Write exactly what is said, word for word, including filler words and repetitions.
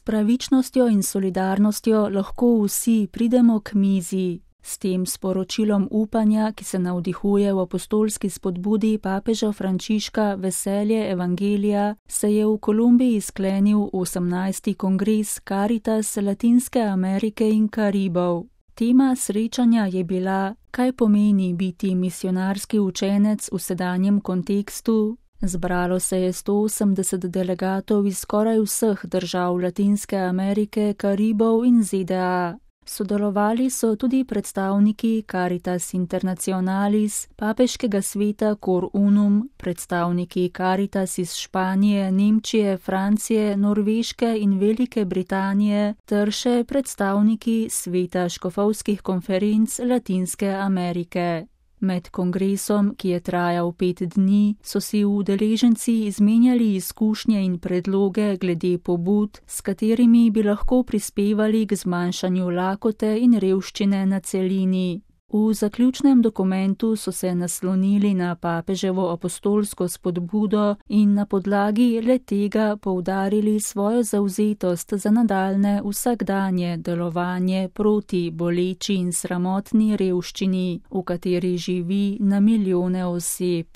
pravičnostjo in solidarnostjo lahko vsi pridemo k mizi. S tem sporočilom upanja, ki se navdihuje v apostolski spodbudi papeža Frančiška Veselje evangelija, se je v Kolumbiji sklenil osemnajsti kongres Caritas Latinske Amerike in Karibov. Tema srečanja je bila, kaj pomeni biti misionarski učenec v sedanjem kontekstu. Zbralo se je sto osemdeset delegatov iz skoraj vseh držav Latinske Amerike, Karibov in Z D A. Sodelovali so tudi predstavniki Caritas Internationalis, papeškega sveta Cor Unum, predstavniki Caritas iz Španije, Nemčije, Francije, Norveške in Velike Britanije ter še predstavniki sveta škofovskih konferenc Latinske Amerike. Med kongresom, ki je trajal pet dni, so si udeleženci izmenjali izkušnje in predloge glede pobud, s katerimi bi lahko prispevali k zmanjšanju lakote in revščine na celini. V zaključnem dokumentu so se naslonili na papeževo apostolsko spodbudo in na podlagi le-tega poudarili svojo zavzetost za nadaljnje vsakdanje delovanje proti boleči in sramotni revščini, v kateri živi na milijone oseb.